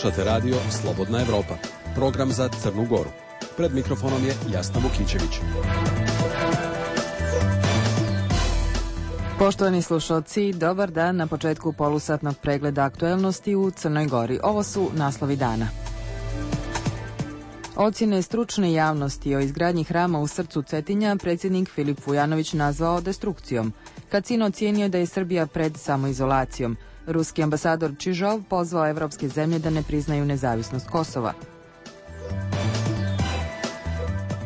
Slušate radio Slobodna Evropa, program za Crnu Goru. Pred mikrofonom je Jasna Vukićević. Poštovani slušalci, dobar dan na početku polusatnog pregleda aktuelnosti u Crnoj Gori. Ovo su naslovi dana. Ocjene stručne javnosti o izgradnji hrama u srcu Cetinja predsjednik Filip Vujanović nazvao destrukcijom. Kacin ocijenio da je Srbija pred samoizolacijom. Ruski ambasador Čižov pozvao evropske zemlje da ne priznaju nezavisnost Kosova.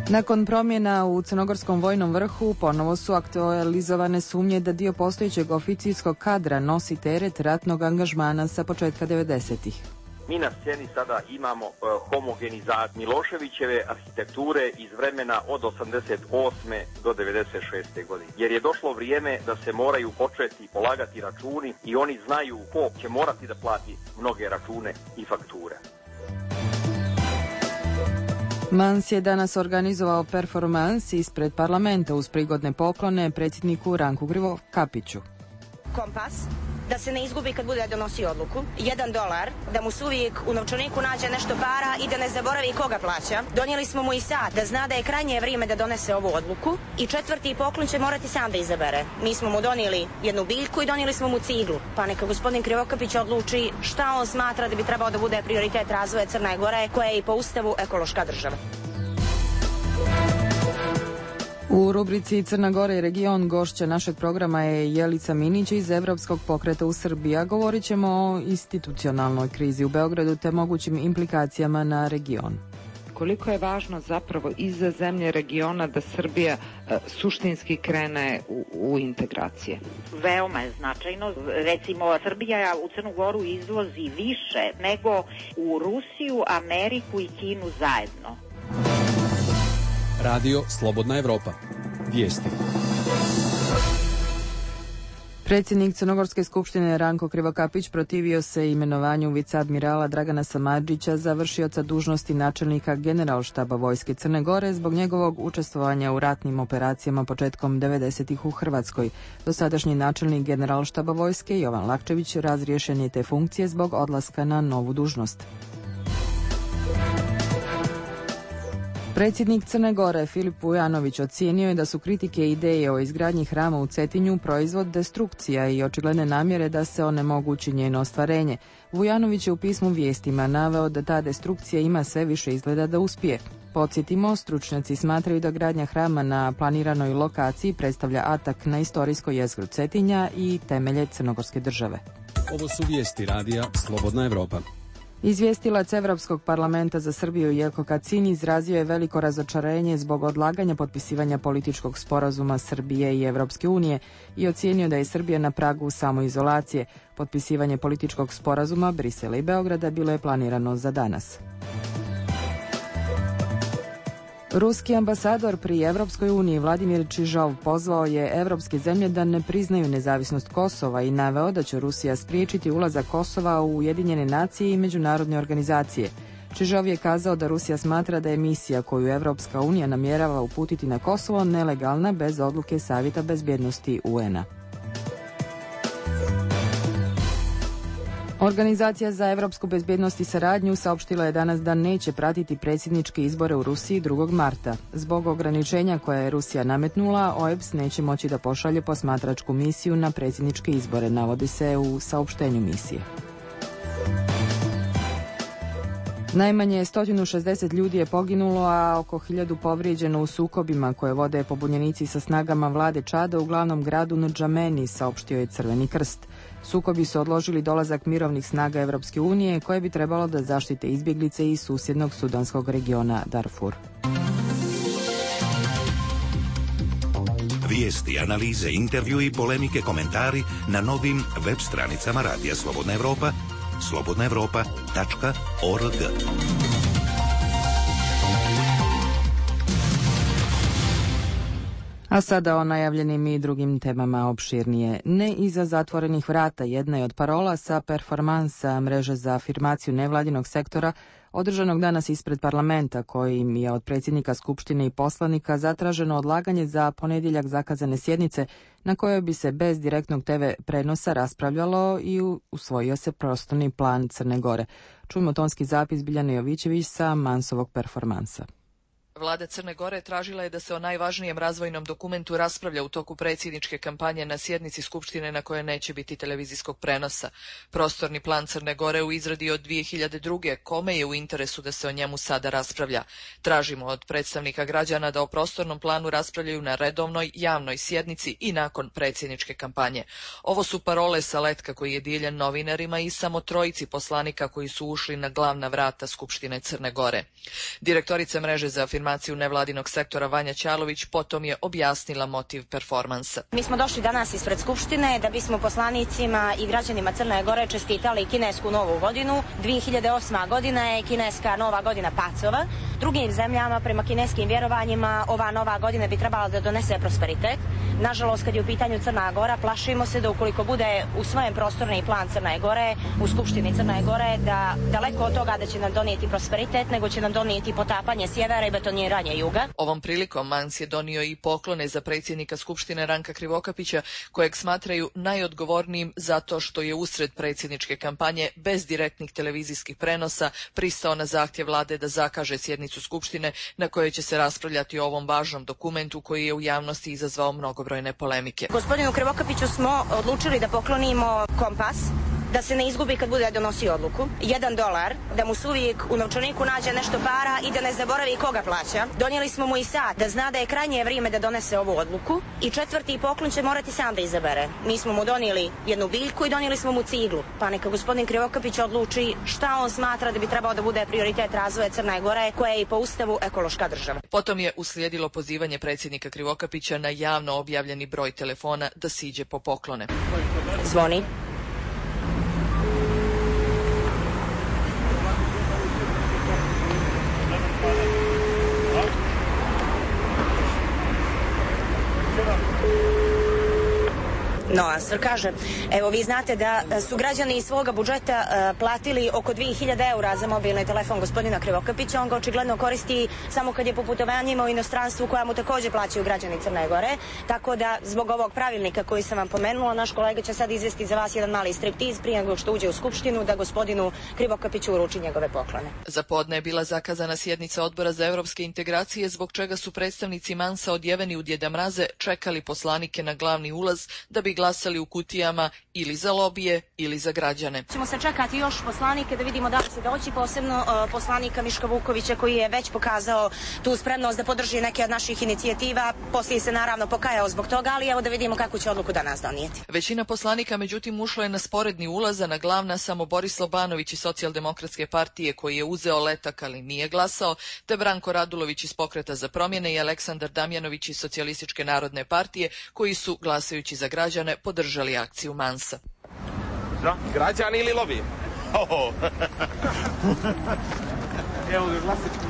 Nakon promjena u crnogorskom vojnom vrhu ponovo su aktualizovane sumnje da dio postojećeg oficirskog kadra nosi teret ratnog angažmana sa početka 90-ih. Mi na sceni sada imamo homogenizaciju Miloševićeve arhitekture iz vremena od 88. do 96. godine. Jer je došlo vrijeme da se moraju početi polagati računi i oni znaju ko će morati da plati mnoge račune i fakture. Mans je danas organizovao performans ispred parlamenta uz prigodne poklone predsjedniku Ranku Krivokapiću. Kompas, da se ne izgubi kad bude donosio odluku, $1, da mu se uvijek u novčaniku nađe nešto para i da ne zaboravi koga plaća. Donijeli smo mu i sat, da zna da je krajnje vrijeme da donese ovu odluku. I četvrti poklon će morati sam da izabere. Mi smo mu donijeli jednu biljku i donijeli smo mu ciglu. Pa neka gospodin Krivokapić odluči šta on smatra da bi trebao da bude prioritet razvoja Crne Gore, koja je i po ustavu ekološka država. U rubrici Crna Gora i region gošća našeg programa je Jelica Minić iz Evropskog pokreta u Srbiji, a govorit ćemo o institucionalnoj krizi u Beogradu te mogućim implikacijama na region. Koliko je važno zapravo i za zemlje regiona da Srbija suštinski krene u integracije? Veoma je značajno. Recimo, Srbija u Crnu Goru izvozi više nego u Rusiju, Ameriku i Kinu zajedno. Radio Slobodna Evropa. Vijesti. Predsjednik Crnogorske skupštine Ranko Krivokapić protivio se imenovanju viceadmirala Dragana Samardžića za vršioca dužnosti načelnika Generalštaba Vojske Crne Gore zbog njegovog učestvovanja u ratnim operacijama početkom 90-ih u Hrvatskoj. Dosadašnji načelnik Generalštaba Vojske Jovan Lakčević razriješen je te funkcije zbog odlaska na novu dužnost. Predsjednik Crne Gore Filip Vujanović ocijenio je da su kritike ideje o izgradnji hrama u Cetinju proizvod destrukcija i očigledne namjere da se onemogući njeno ostvarenje. Vujanović je u pismu Vijestima naveo da ta destrukcija ima sve više izgleda da uspije. Podsjetimo, stručnjaci smatraju da gradnja hrama na planiranoj lokaciji predstavlja atak na istorijsko jezgro Cetinja i temelje crnogorske države. Ovo su vijesti radija Slobodna Evropa. Izvjestilac Evropskog parlamenta za Srbiju Jelko Kacin izrazio je veliko razočarenje zbog odlaganja potpisivanja političkog sporazuma Srbije i Evropske unije i ocijenio da je Srbija na pragu samoizolacije. Potpisivanje političkog sporazuma Brisela i Beograda bilo je planirano za danas. Ruski ambasador pri Evropskoj uniji Vladimir Čižov pozvao je evropske zemlje da ne priznaju nezavisnost Kosova i naveo da će Rusija spriječiti ulazak Kosova u Ujedinjene nacije i međunarodne organizacije. Čižov je kazao da Rusija smatra da je misija koju Evropska unija namjerava uputiti na Kosovo nelegalna bez odluke Savjeta bezbjednosti UN-a. Organizacija za evropsku bezbjednost i saradnju saopštila je danas da neće pratiti predsjedničke izbore u Rusiji 2. marta. Zbog ograničenja koja je Rusija nametnula, OEBS neće moći da pošalje posmatračku misiju na predsjedničke izbore, navodi se u saopštenju misije. Najmanje 160 ljudi je poginulo, a oko 1000 povrijeđeno u sukobima koje vode pobunjenici sa snagama vlade Čada u glavnom gradu Ndžameni, saopštio je Crveni krst. Sukobi su odložili dolazak mirovnih snaga Evropske unije koje bi trebalo da zaštite izbjeglice iz susjednog sudanskog regiona Darfur. Vijesti, analize, intervju i polemike, komentari na novim web stranicama Radija Slobodna Evropa, slobodnaevropa.org. A sada o najavljenim i drugim temama opširnije. Ne iza zatvorenih vrata jedna je od parola sa performansa mreže za afirmaciju nevladinog sektora održanog danas ispred parlamenta, kojim je od predsjednika Skupštine i poslanika zatraženo odlaganje za ponedjeljak zakazane sjednice na kojoj bi se bez direktnog TV prenosa raspravljalo i usvojio se prostorni plan Crne Gore. Čujmo tonski zapis Biljane Jovićević sa Mansovog performansa. Vlada Crne Gore tražila je da se o najvažnijem razvojnom dokumentu raspravlja u toku predsjedničke kampanje na sjednici Skupštine na kojoj neće biti televizijskog prenosa. Prostorni plan Crne Gore u izradi od 2002. Kome je u interesu da se o njemu sada raspravlja? Tražimo od predstavnika građana da o prostornom planu raspravljaju na redovnoj javnoj sjednici i nakon predsjedničke kampanje. Ovo su parole sa letka koji je dijeljen novinarima i samo trojici poslanika koji su ušli na glavna vrata Skupštine Crne Gore. Direktorica mreže za afirmaciju nevladinog sektora Vanja Ćalović potom je objasnila motiv performansa. Mi smo došli danas ispred Skupštine da bismo poslanicima i građanima Crne Gore čestitali kinesku novu godinu. 2008. godina je kineska nova godina pacova. Drugim zemljama prema kineskim vjerovanjima ova nova godina bi trebala da donese prosperitet. Nažalost, kad je u pitanju Crna Gora, plašimo se da ukoliko bude usvojen prostorni plan Crne Gore u Skupštini Crne Gore, da daleko od toga da će nam donijeti prosperitet, nego će nam donijeti potapanje sjevera i betoniranje juga. Ovom prilikom Mans je donio i poklone za predsjednika Skupštine Ranka Krivokapića, kojeg smatraju najodgovornijim zato što je usred predsjedničke kampanje bez direktnih televizijskih prenosa pristao na zahtjev vlade da zakaže sjednicu Skupštine na kojoj će se raspravljati o ovom važnom dokumentu koji je u javnosti izazvao mnogobrojne polemike. Gospodinu Krivokapiću smo odlučili da poklonimo kompas, da se ne izgubi kad bude donosio odluku. $1, da mu se uvijek u novčaniku nađe nešto para i da ne zaboravi koga plaća. Donijeli smo mu i sat, da zna da je krajnje vrijeme da donese ovu odluku. I četvrti poklon će morati sam da izabere. Mi smo mu donijeli jednu biljku i donijeli smo mu ciglu. Pa neka gospodin Krivokapić odluči šta on smatra da bi trebao da bude prioritet razvoja Crne Gore, koja je i po ustavu ekološka država. Potom je uslijedilo pozivanje predsjednika Krivokapića na javno objavljeni broj telefona da siđe po poklone. Zvoni. Noansor kaže, evo vi znate da su građani iz svoga budžeta platili oko 2000 eura za mobilni telefon gospodina Krivokapića. On ga očigledno koristi samo kad je po putovanjima u inostranstvu koja mu također plaćaju građani Crne Gore. Tako da zbog ovog pravilnika koji sam vam pomenula, naš kolega će sad izvesti za vas jedan mali striptiz prije nego što uđe u Skupštinu da gospodinu Krivokapiću uruči njegove poklone. Za podne je bila zakazana sjednica Odbora za europske integracije, zbog čega su predstavnici Mansa odjeveni u Djeda Mraze čekali poslanike na glavni ulaz da bi glasali u kutijama ili za lobije ili za građane. Ćemo se čekati još poslanike da vidimo da li će doći, posebno poslanika Miška Vukovića koji je već pokazao tu spremnost da podrži neke od naših inicijativa. Poslije se naravno pokajao zbog toga, ali evo da vidimo kakvu će odluku danas donijeti. Većina poslanika međutim ušla je na sporedni ulaz, a na glavna samo Boris Lobanović iz Socijaldemokratske partije koji je uzeo letak ali nije glasao, te Branko Radulović iz Pokreta za promjene i Aleksandar Damjanović iz Socijalističke narodne partije koji su glasajući za građane podržali akciju Mansa. Za? Građani ili lobby? Evo ga glasački.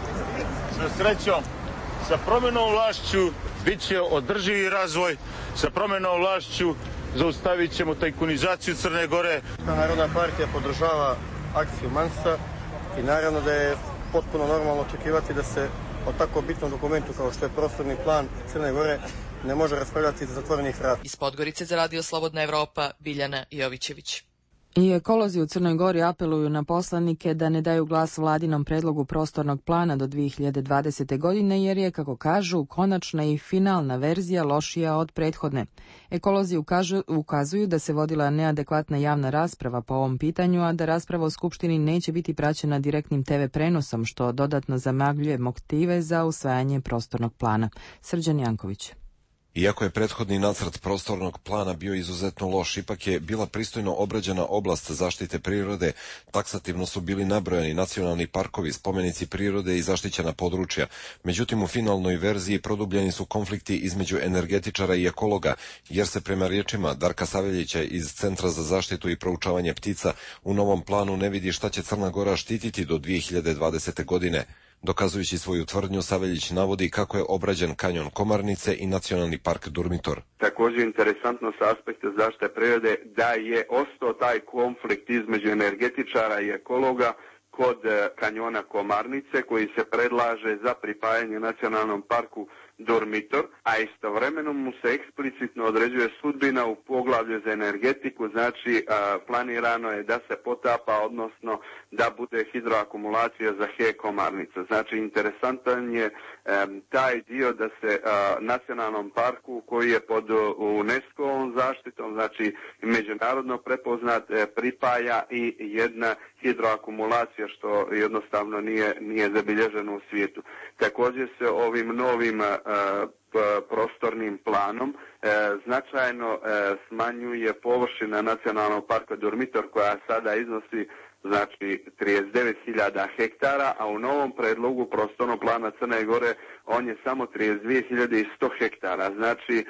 Sa srećom, sa promjenom vlašću bit će održivi razvoj, sa promjenom vlašću zaustavit ćemo tajkunizaciju Crne Gore. Narodna partija podržava akciju Mansa i naravno da je potpuno normalno očekivati da se o tako bitnom dokumentu kao što je prostorni plan Crne Gore ne može raspravljati za zatvorenih vrata. Iz Podgorice za Radio Slobodna Evropa, Biljana Jovićević. I ekolozi u Crnoj Gori apeluju na poslanike da ne daju glas vladinom predlogu prostornog plana do 2020. godine jer je, kako kažu, konačna i finalna verzija lošija od prethodne. Ekolozi ukazuju da se vodila neadekvatna javna rasprava po ovom pitanju, a da rasprava u Skupštini neće biti praćena direktnim TV prenosom, što dodatno zamagljuje motive za usvajanje prostornog plana. Srđan Janković. Iako je prethodni nacrt prostornog plana bio izuzetno loš, ipak je bila pristojno obrađena oblast zaštite prirode, taksativno su bili nabrojani nacionalni parkovi, spomenici prirode i zaštićena područja. Međutim, u finalnoj verziji produbljeni su konflikti između energetičara i ekologa, jer se prema riječima Darka Saveljića iz Centra za zaštitu i proučavanje ptica u novom planu ne vidi šta će Crna Gora štititi do 2020. godine. Dokazujući svoju tvrdnju, Saveljić navodi kako je obrađen kanjon Komarnice i nacionalni park Durmitor. Također interesantno sa aspekta zaštite prirode da je ostao taj konflikt između energetičara i ekologa kod kanjona Komarnice koji se predlaže za pripajanje nacionalnom parku Durmitor, a istovremeno mu se eksplicitno određuje sudbina u poglavlju za energetiku, znači planirano je da se potapa, odnosno da bude hidroakumulacija za HE Komarnica. Znači interesantan je taj dio da se nacionalnom parku koji je pod UNESCO-ovom zaštitom, znači međunarodno prepoznat, pripaja i jedna hidroakumulacija što jednostavno nije zabilježeno u svijetu. Također se ovim novim prostornim planom značajno smanjuje površina nacionalnog parka Durmitor koja sada iznosi znači 39.000 hektara, a u novom predlogu prostornog plana Crne Gore on je samo 32.100 hektara. Znači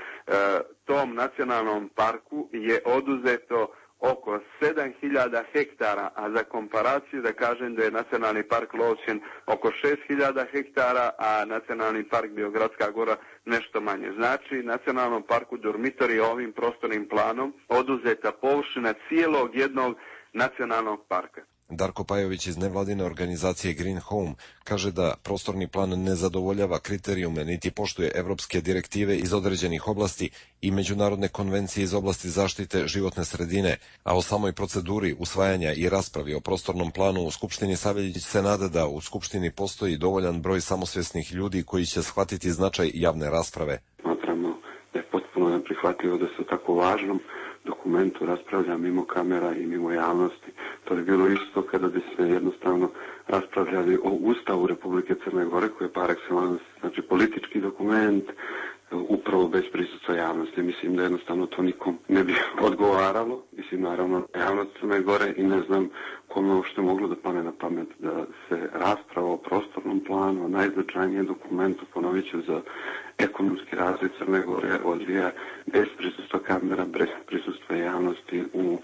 tom nacionalnom parku je oduzeto oko 7.000 hektara, a za komparaciju da kažem da je nacionalni park Lovćen oko 6.000 hektara, a nacionalni park Biogradska Gora nešto manje. Znači, nacionalnom parku Durmitor je ovim prostornim planom oduzeta površina cijelog jednog nacionalnog parka. Darko Pajović iz nevladine organizacije Green Home kaže da prostorni plan ne zadovoljava kriterijume niti poštuje evropske direktive iz određenih oblasti i međunarodne konvencije iz oblasti zaštite životne sredine, a o samoj proceduri usvajanja i raspravi o prostornom planu u Skupštini Saveljić se nada da u Skupštini postoji dovoljan broj samosvjesnih ljudi koji će shvatiti značaj javne rasprave. Smatramo da je potpuno neprihvatljivo da se o tako važnom dokumentu raspravlja mimo kamera i mimo javnosti. To je bilo isto kada bi se jednostavno raspravljali o Ustavu Republike Crne Gore, koji je par excellence, znači politički dokument, upravo bez prisustva javnosti. Mislim da jednostavno to nikom ne bi odgovaralo. Mislim, naravno, javnost Crne Gore i ne znam kome uopšte moglo da pane na pamet da se rasprava o prostornom planu, najznačajnijem dokumentu, ponovit ću, za ekonomski razvoj Crne Gore odvija bez prisustva kamera, bez prisustva javnosti u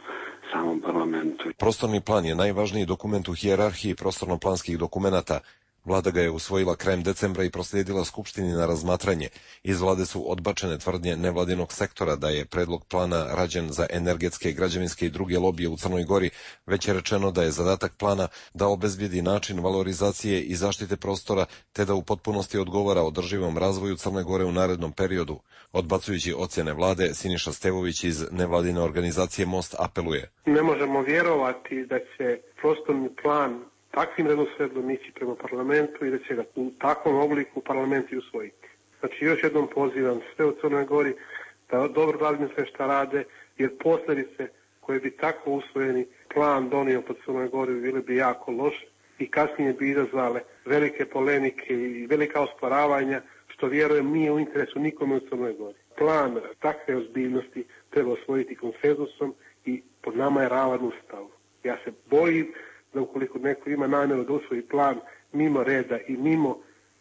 samom parlamentu. Prostorni plan je najvažniji dokument u hijerarhiji prostorno-planskih dokumenata. Vlada ga je usvojila krajem decembra i proslijedila Skupštini na razmatranje. Iz vlade su odbačene tvrdnje nevladinog sektora da je predlog plana rađen za energetske, građevinske i druge lobije u Crnoj Gori. Već je rečeno da je zadatak plana da obezbijedi način valorizacije i zaštite prostora, te da u potpunosti odgovara održivom razvoju Crne Gore u narednom periodu. Odbacujući ocjene vlade, Siniša Stevović iz nevladine organizacije Most apeluje. Ne možemo vjerovati da će prostorni plan takvim redoslijedom ići prema parlamentu i da će ga u takvom obliku parlament i usvojiti. Znači još jednom pozivam sve u Crnoj Gori da dobro radim sve šta rade, jer posljedice koje bi tako usvojeni plan donio pod Crnoj Gori bili bi jako loše i kasnije bi izazvale velike polemike i velika osporavanja, što vjerujem nije u interesu nikome u Crnoj Gori. Plan takve ozbiljnosti treba osvojiti konsenzusom i pod nama je ravan Ustav. Ja se bojim da ukoliko neko ima namjeru da usvoji plan mimo reda i mimo,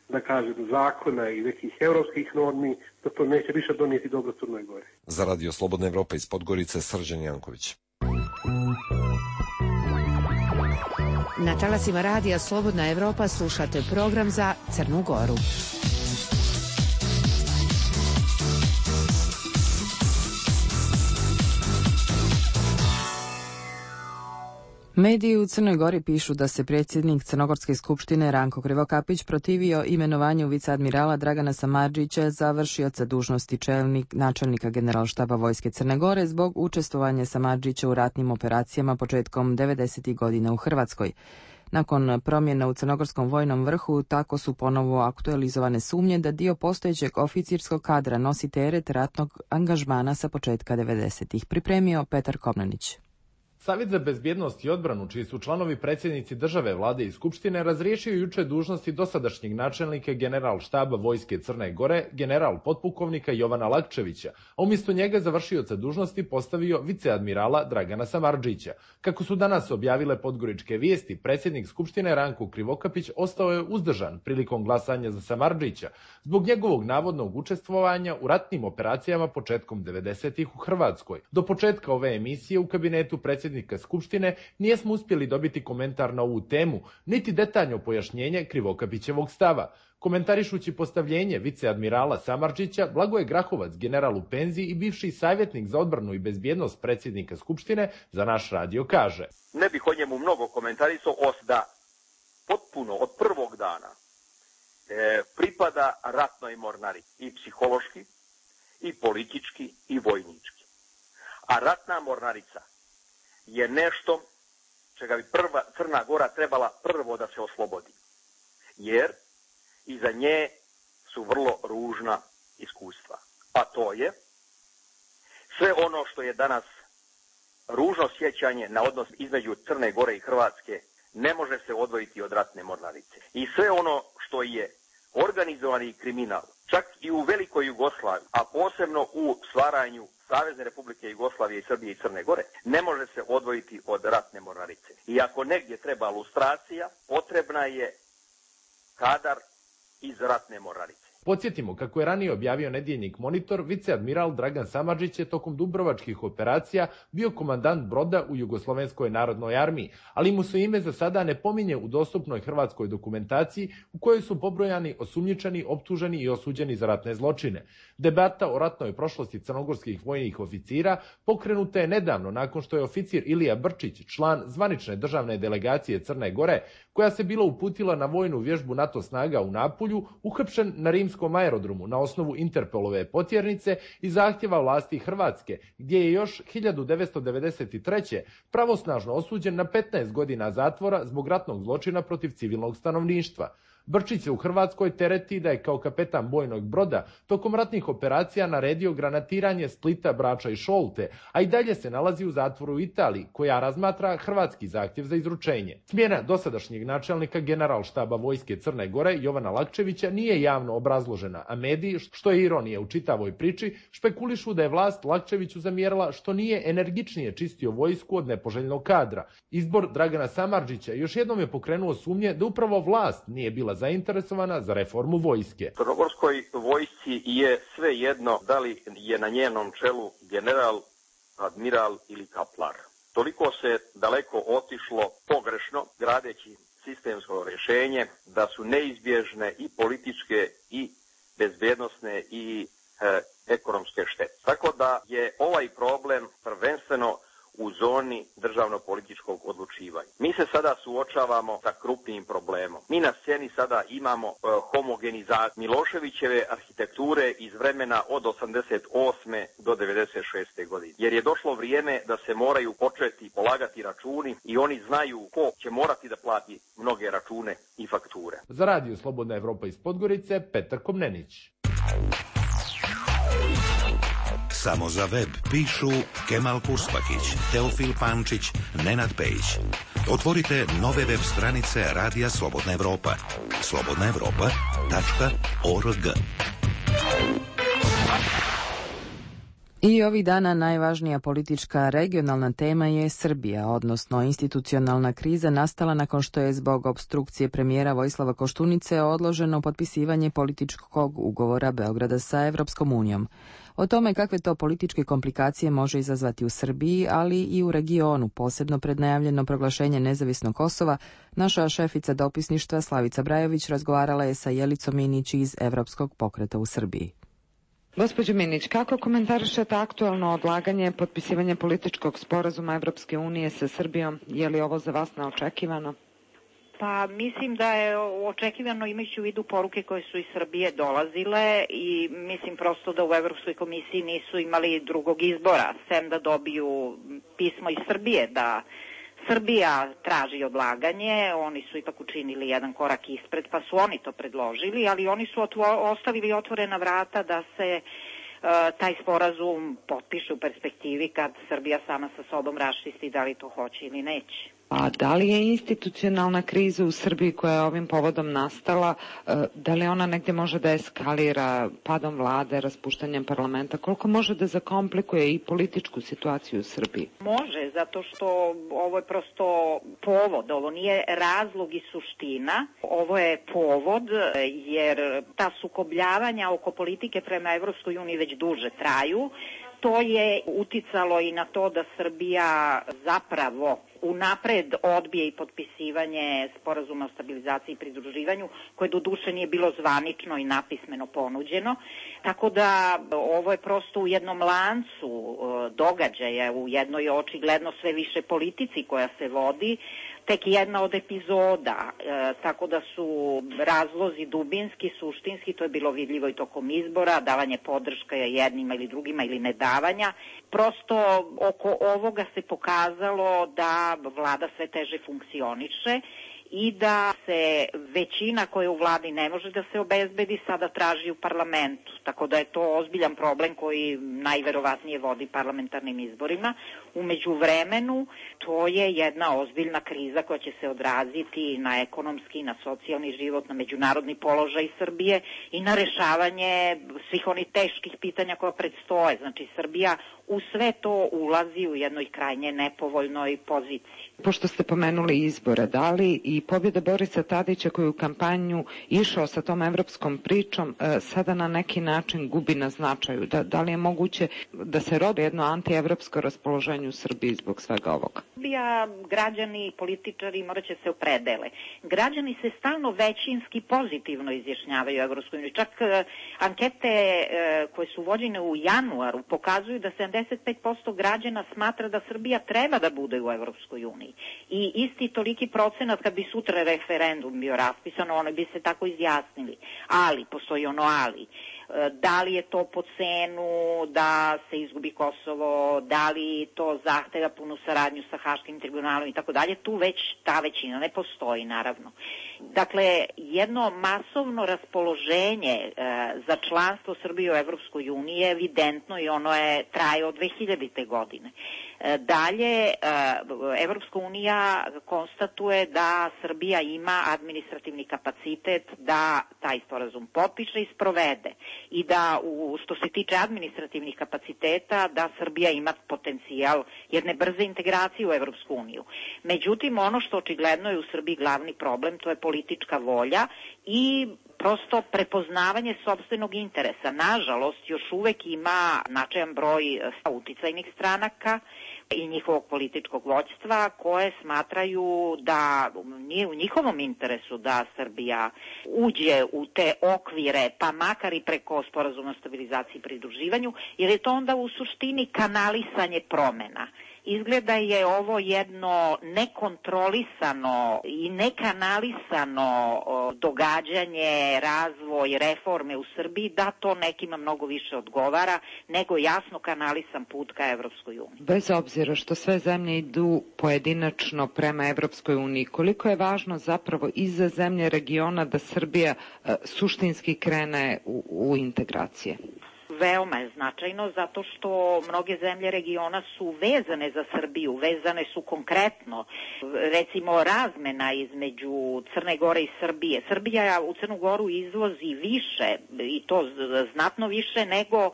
da kažem, zakona i nekih europskih normi, da to neće više donijeti dobro Crnoj Gori. Za Radio Slobodna Evropa iz Podgorice, Srđan Janković. Na talasima Radija Slobodna Evropa slušate program za Crnu Goru. Mediji u Crnoj Gori pišu da se predsjednik Crnogorske skupštine Ranko Krivokapić protivio imenovanju viceadmirala Dragana Samardžića za vršioca dužnosti načelnika Generalštaba Vojske Crne Gore zbog učestvovanja Samardžića u ratnim operacijama početkom 90. godina u Hrvatskoj. Nakon promjena u crnogorskom vojnom vrhu, tako su ponovo aktualizovane sumnje da dio postojećeg oficirskog kadra nosi teret ratnog angažmana sa početka 90. Pripremio Petar Komnenić. Savjet za bezbjednost i odbranu, čiji su članovi predsjednici države, vlade i skupštine, razriješio juče dužnosti dosadašnjeg načelnika Generalštaba Vojske Crne Gore, general potpukovnika Jovana Lakčevića, a umjesto njega za vršioca dužnosti postavio viceadmirala Dragana Samardžića. Kako su danas objavile podgoričke vijesti, predsjednik skupštine Ranko Krivokapić ostao je uzdržan prilikom glasanja za Samardžića zbog njegovog navodnog učestvovanja u ratnim operacijama početkom 90. u Hrvatskoj. Do početka ove emisije u kabinetu predsjednika predsjednika Skupštine nijesmo uspjeli dobiti komentar na ovu temu, niti detaljno pojašnjenje Krivokapićevog stava. Komentarišući postavljenje viceadmirala Samardžića, Blagoje Grahovac, general u penziji i bivši savjetnik za odbranu i bezbjednost predsjednika Skupštine, za naš radio kaže: Ne bih o njemu mnogo komentarisao, da potpuno od prvog dana pripada ratnoj mornarici, i psihološki, i politički, i vojnički. A ratna mornarica je nešto čega bi Crna Gora trebala prvo da se oslobodi. Jer iza nje su vrlo ružna iskustva. A to je sve ono što je danas ružno sjećanje na odnos između Crne Gore i Hrvatske ne može se odvojiti od ratne mornarice. I sve ono što je organizovani kriminal, čak i u velikoj Jugoslaviji, a posebno u stvaranju Savezne Republike Jugoslavije i Srbije i Crne Gore, ne može se odvojiti od ratne mornarice. I ako negdje treba lustracija, potrebna je kadar iz ratne mornarice. Podsjetimo, kako je ranije objavio nedjeljnik Monitor, viceadmiral Dragan Samardžić je tokom dubrovačkih operacija bio komandant broda u Jugoslovenskoj narodnoj armiji, ali mu se ime za sada ne pominje u dostupnoj hrvatskoj dokumentaciji u kojoj su pobrojani osumnjičeni, optuženi i osuđeni za ratne zločine. Debata o ratnoj prošlosti crnogorskih vojnih oficira pokrenuta je nedavno nakon što je oficir Ilija Brčić, član zvanične državne delegacije Crne Gore, koja se bila uputila na vojnu vježbu NATO snaga u Napulju, uhapšen na rimskom aerodromu na osnovu Interpolove potjernice i zahtjeva vlasti Hrvatske, gdje je još 1993. pravosnažno osuđen na 15 godina zatvora zbog ratnog zločina protiv civilnog stanovništva. Brčić se u Hrvatskoj tereti da je kao kapetan bojnog broda tokom ratnih operacija naredio granatiranje Splita, Brača i Šolte, a i dalje se nalazi u zatvoru u Italiji, koja razmatra hrvatski zahtjev za izručenje. Smjena dosadašnjeg načelnika Generalštaba vojske Crne Gore Jovana Lakčevića nije javno obrazložena, a mediji, što je ironija u čitavoj priči, špekulišu da je vlast Lakčeviću zamjerila što nije energičnije čistio vojsku od nepoželjnog kadra. Izbor Dragana Samardžića još jednom je pokrenuo sumnje da upravo vlast nije bila zainteresovana za reformu vojske. Crnogorskoj vojsci je sve jedno da li je na njenom čelu general, admiral ili kaplar. Toliko se daleko otišlo pogrešno gradeći sistemsko rješenje da su neizbježne i političke i bezbjednosne i ekonomske štete. Tako da je ovaj problem prvenstveno u zoni državno-političkog odlučivanja. Mi se sada suočavamo sa krupnim problemom. Mi na sceni sada imamo homogenizaciju Miloševićeve arhitekture iz vremena od 88. do 96. godine. Jer je došlo vrijeme da se moraju početi polagati računi i oni znaju ko će morati da plati mnoge račune i fakture. Za radio Slobodna Evropa iz Podgorice, Petar Komnenić. Samo za web pišu Kemal Purspakić, Teofil Pančić, Nenad Pejić. Otvorite nove web stranice Radija Slobodna Evropa. slobodnaevropa.org. I ovih dana najvažnija politička regionalna tema je Srbija, odnosno institucionalna kriza nastala nakon što je zbog opstrukcije premijera Vojislava Koštunice odloženo potpisivanje političkog ugovora Beograda sa Evropskom unijom. O tome kakve to političke komplikacije može izazvati u Srbiji, ali i u regionu, posebno pred najavljeno proglašenje nezavisnog Kosova, naša šefica dopisništva Slavica Brajović razgovarala je sa Jelicom Minić iz Evropskog pokreta u Srbiji. Gospođo Minić, kako komentarišete aktualno odlaganje potpisivanja političkog sporazuma Evropske unije sa Srbijom? Je li ovo za vas neočekivano? Pa mislim da je očekivano imajući u vidu poruke koje su iz Srbije dolazile i mislim prosto da u Evropskoj komisiji nisu imali drugog izbora, sem da dobiju pismo iz Srbije da Srbija traži odlaganje, oni su ipak učinili jedan korak ispred pa su oni to predložili, ali oni su ostavili otvorena vrata da se taj sporazum potpiše u perspektivi kad Srbija sama sa sobom raščisti da li to hoće ili neće. A da li je institucionalna kriza u Srbiji koja je ovim povodom nastala, da li ona negdje može da eskalira padom vlade, raspuštanjem parlamenta? Koliko može da zakomplikuje i političku situaciju u Srbiji? Može, zato što ovo je prosto povod, ovo nije razlog i suština, ovo je povod jer ta sukobljavanja oko politike prema Evropskoj uniji već duže traju. to je uticalo i na to da Srbija zapravo unapred odbije i potpisivanje sporazuma o stabilizaciji i pridruživanju, koje doduše nije bilo zvanično i napismeno ponuđeno. Tako da ovo je prosto u jednom lancu događaja, u jednoj očigledno sve više politici koja se vodi, tek jedna od epizoda, tako da su razlozi dubinski, suštinski, to je bilo vidljivo i tokom izbora, davanje podrška jednima ili drugima ili nedavanja. Prosto oko ovoga se pokazalo da vlada sve teže funkcioniše i da se većina koja u vladi ne može da se obezbedi sada traži u parlamentu. Tako da je to ozbiljan problem koji najverovatnije vodi parlamentarnim izborima. U međuvremenu to je jedna ozbiljna kriza koja će se odraziti na ekonomski, na socijalni život, na međunarodni položaj Srbije i na rešavanje svih onih teških pitanja koja predstoje. Znači Srbija u sve to ulazi u jednoj krajnje nepovoljnoj poziciji. Pošto ste pomenuli izbore, da li i pobjeda Borisa Tadića koji je u kampanju išao sa tom evropskom pričom sada na neki način gubi na značaju? Da li je moguće da se rodi jedno antievropsko raspoloženje u Srbiji zbog svega ovoga? Srbija, građani i političari morat će se opredele. Građani se stalno većinski pozitivno izjašnjavaju u Evropskoj uniji. Čak ankete koje su vođene u januaru pokazuju da 75% građana smatra da Srbija treba da bude u Evropskoj uniji. I isti toliki procenat kad bi sutra referendum bio raspisan, oni bi se tako izjasnili. Ali, postoji ono ali. Da li je to po cenu da se izgubi Kosovo, da li to zahteva punu saradnju sa Haškim tribunalom i tako dalje, tu već ta većina ne postoji, naravno. Dakle, jedno masovno raspoloženje za članstvo Srbije u Evropskoj uniji je evidentno i ono traje od 2000. godine. Dalje, Evropska unija konstatuje da Srbija ima administrativni kapacitet da taj sporazum potpiše i sprovede i da, što se tiče administrativnih kapaciteta, da Srbija ima potencijal jedne brze integracije u Evropsku uniju. Međutim, ono što očigledno je u Srbiji glavni problem, to je politička volja i prosto prepoznavanje sopstvenog interesa. Nažalost, još uvek ima značajan broj uticajnih stranaka i njihovog političkog vođstva koje smatraju da nije u njihovom interesu da Srbija uđe u te okvire, pa makar i preko sporazuma o stabilizaciji i pridruživanju, jer je to onda u suštini kanalisanje promena. Izgleda je ovo jedno nekontrolisano i nekanalisano događanje, razvoj, reforme u Srbiji, da to nekima mnogo više odgovara nego jasno kanalisan put ka Evropskoj uniji. Bez obzira što sve zemlje idu pojedinačno prema Evropskoj uniji, koliko je važno zapravo i za zemlje regiona da Srbija suštinski krene u integracije? Veoma je značajno zato što mnoge zemlje regiona su vezane za Srbiju, vezane su konkretno, recimo razmena između Crne Gore i Srbije. Srbija u Crnu Goru izvozi više i to znatno više nego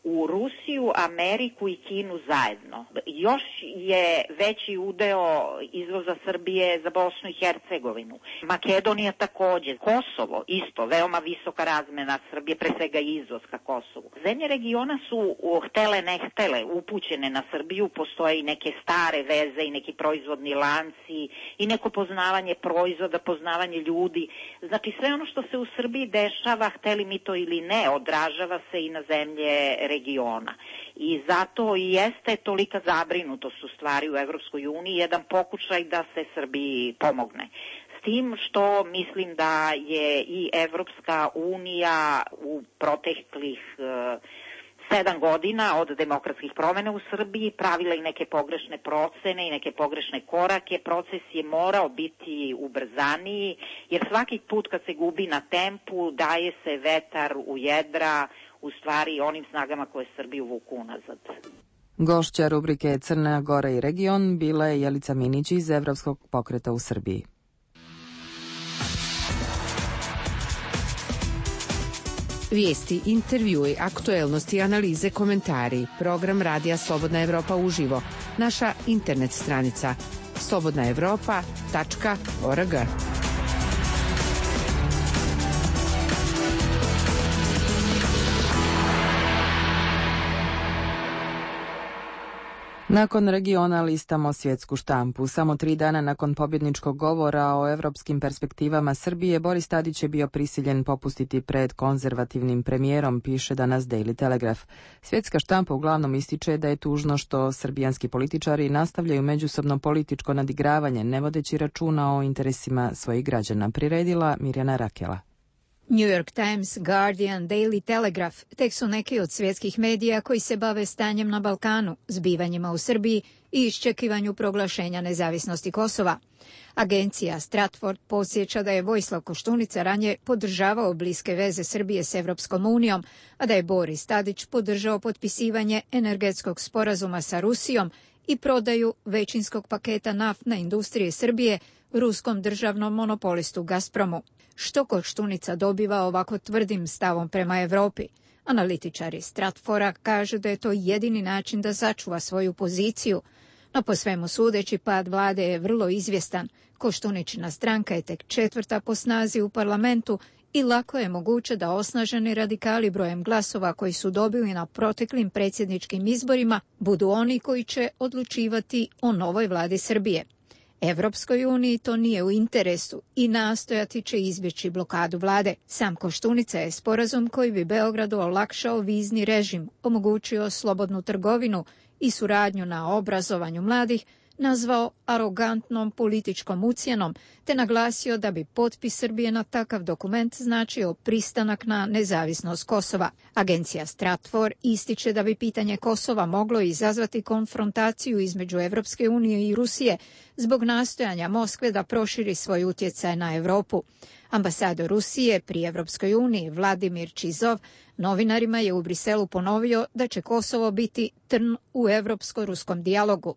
u Rusiju, Ameriku i Kinu zajedno. Još je veći udeo izvoza Srbije za Bosnu i Hercegovinu. Makedonija takođe. Kosovo isto, veoma visoka razmena Srbije, pre svega izvoz ka Kosovu. Zemlje regiona su htele ne htele upućene na Srbiju, postoje i neke stare veze i neki proizvodni lanci i neko poznavanje proizvoda, poznavanje ljudi. Znači sve ono što se u Srbiji dešava, hteli mi to ili ne, odražava se i na zemlje regiona. I zato i jeste tolika zabrinutost u stvari u Evropskoj uniji, jedan pokušaj da se Srbiji pomogne. S tim što mislim da je i Evropska unija u proteklih 7 godina od demokratskih promjena u Srbiji pravila i neke pogrešne procene i neke pogrešne korake. Proces je morao biti ubrzaniji, jer svaki put kad se gubi na tempu daje se vetar u jedra, u stvari onim snagama koje Srbiju vuku unazad. Gošća rubrike Crna Gora i region bila je Jelica Minić iz Evropskog pokreta u Srbiji. Vijesti, intervjui, aktuelnosti, analize, komentari. Program Radija Slobodna Evropa uživo. Naša internet stranica slobodnaevropa.org. Nakon regiona listamo svjetsku štampu. Samo 3 dana nakon pobjedničkog govora o europskim perspektivama Srbije, Boris Tadić je bio prisiljen popustiti pred konzervativnim premijerom, piše danas Daily Telegraph. Svjetska štampa uglavnom ističe da je tužno što srbijanski političari nastavljaju međusobno političko nadigravanje, ne vodeći računa o interesima svojih građana. Priredila Mirjana Rakela. New York Times, Guardian, Daily Telegraph tek su neki od svjetskih medija koji se bave stanjem na Balkanu, zbivanjima u Srbiji i iščekivanju proglašenja nezavisnosti Kosova. Agencija Stratford podsjeća da je Vojislav Koštunica ranije podržavao bliske veze Srbije s Evropskom unijom, a da je Boris Tadić podržao potpisivanje energetskog sporazuma sa Rusijom i prodaju većinskog paketa naftne industrije Srbije ruskom državnom monopolistu Gazpromu. Što Koštunica dobiva ovako tvrdim stavom prema Evropi? Analitičari Stratfora kažu da je to jedini način da sačuva svoju poziciju, no po svemu sudeći pad vlade je vrlo izvjestan. Koštuničina stranka je tek 4. po snazi u parlamentu i lako je moguće da osnaženi radikali brojem glasova koji su dobili na proteklim predsjedničkim izborima budu oni koji će odlučivati o novoj vladi Srbije. Evropskoj uniji to nije u interesu i nastojati će izbjeći blokadu vlade. Sam Koštunica je sporazum koji bi Beogradu olakšao vizni režim, omogućio slobodnu trgovinu i suradnju na obrazovanju mladih, nazvao arogantnom političkom ucjenom, te naglasio da bi potpis Srbije na takav dokument značio pristanak na nezavisnost Kosova. Agencija Stratfor ističe da bi pitanje Kosova moglo izazvati konfrontaciju između Evropske unije i Rusije zbog nastojanja Moskve da proširi svoj utjecaj na Europu. Ambasador Rusije pri Evropskoj uniji Vladimir Čizov novinarima je u Briselu ponovio da će Kosovo biti trn u evropsko-ruskom dijalogu.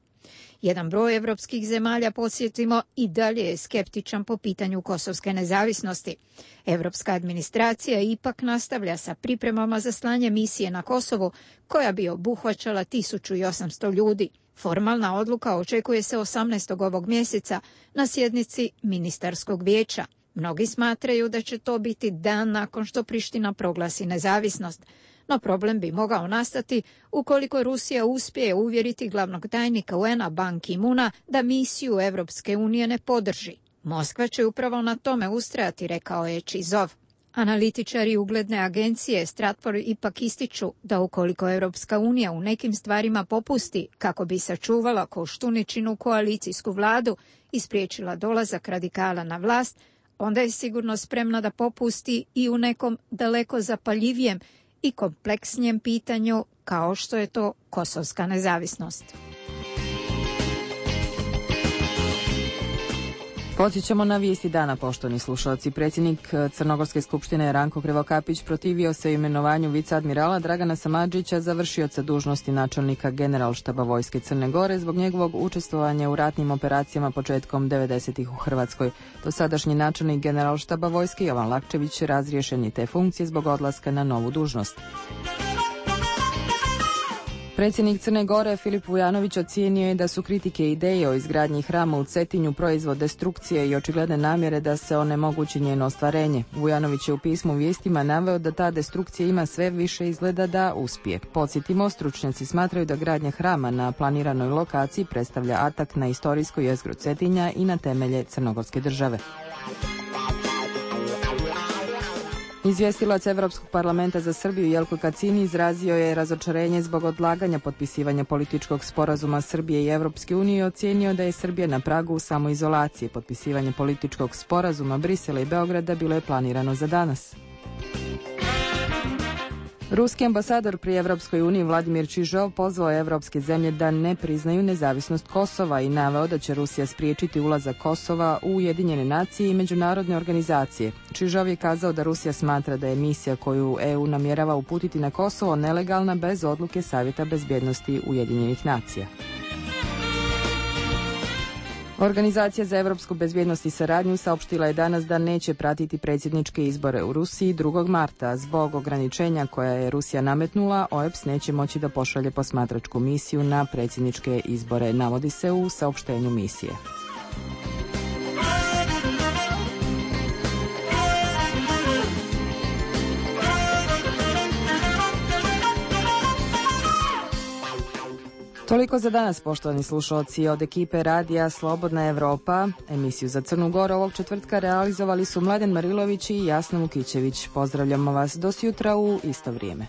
Jedan broj evropskih zemalja, podsjetimo, i dalje je skeptičan po pitanju kosovske nezavisnosti. Evropska administracija ipak nastavlja sa pripremama za slanje misije na Kosovu, koja bi obuhvaćala 1800 ljudi. Formalna odluka očekuje se 18. ovog mjeseca na sjednici ministarskog vijeća. Mnogi smatraju da će to biti dan nakon što Priština proglasi nezavisnost. No problem bi mogao nastati ukoliko Rusija uspije uvjeriti glavnog tajnika UN-a Ban Ki-moona da misiju Evropske unije ne podrži. Moskva će upravo na tome ustrajati, rekao je Čizov. Analitičari ugledne agencije Stratfor ipak ističu da ukoliko Evropska unija u nekim stvarima popusti kako bi sačuvala Koštuničinu koalicijsku vladu i spriječila dolazak radikala na vlast, onda je sigurno spremna da popusti i u nekom daleko zapaljivijem i kompleksnijem pitanju kao što je to kosovska nezavisnost. Podsjećamo na vijesti dana, poštovani slušalci. Predsjednik Crnogorske skupštine Ranko Krivokapić protivio se imenovanju viceadmirala Dragana Samardžića za vršioca dužnosti načelnika Generalštaba Vojske Crne Gore zbog njegovog učestvovanja u ratnim operacijama početkom 90-ih u Hrvatskoj. Dosadašnji načelnik Generalštaba Vojske Jovan Lakčević razriješen je te funkcije zbog odlaska na novu dužnost. Predsjednik Crne Gore Filip Vujanović ocijenio je da su kritike i ideje o izgradnji hrama u Cetinju proizvod destrukcije i očigledne namjere da se onemogući njeno ostvarenje. Vujanović je u pismu vijestima naveo da ta destrukcija ima sve više izgleda da uspije. Podsjetimo, stručnjaci smatraju da gradnja hrama na planiranoj lokaciji predstavlja atak na istorijsko jezgro Cetinja i na temelje Crnogorske države. Izvjestilac Evropskog parlamenta za Srbiju Jelko Kacini izrazio je razočarenje zbog odlaganja potpisivanja političkog sporazuma Srbije i Evropske unije i ocijenio da je Srbija na pragu samoizolacije. Potpisivanje političkog sporazuma Brisela i Beograda bilo je planirano za danas. Ruski ambasador pri Evropskoj uniji Vladimir Čižov pozvao evropske zemlje da ne priznaju nezavisnost Kosova i naveo da će Rusija spriječiti ulazak Kosova u Ujedinjene nacije i međunarodne organizacije. Čižov je kazao da Rusija smatra da je misija koju EU namjerava uputiti na Kosovo nelegalna bez odluke Savjeta bezbjednosti Ujedinjenih nacija. Organizacija za evropsku bezbjednost i saradnju saopštila je danas da neće pratiti predsjedničke izbore u Rusiji 2. marta. Zbog ograničenja koja je Rusija nametnula, OEBS neće moći da pošalje posmatračku misiju na predsjedničke izbore, navodi se u saopštenju misije. Toliko za danas, poštovani slušalci. Od ekipe radija Slobodna Evropa, emisiju za Crnu Goru ovog četvrtka realizovali su Mladen Marilović i Jasna Vukićević. Pozdravljamo vas do sutra u isto vrijeme.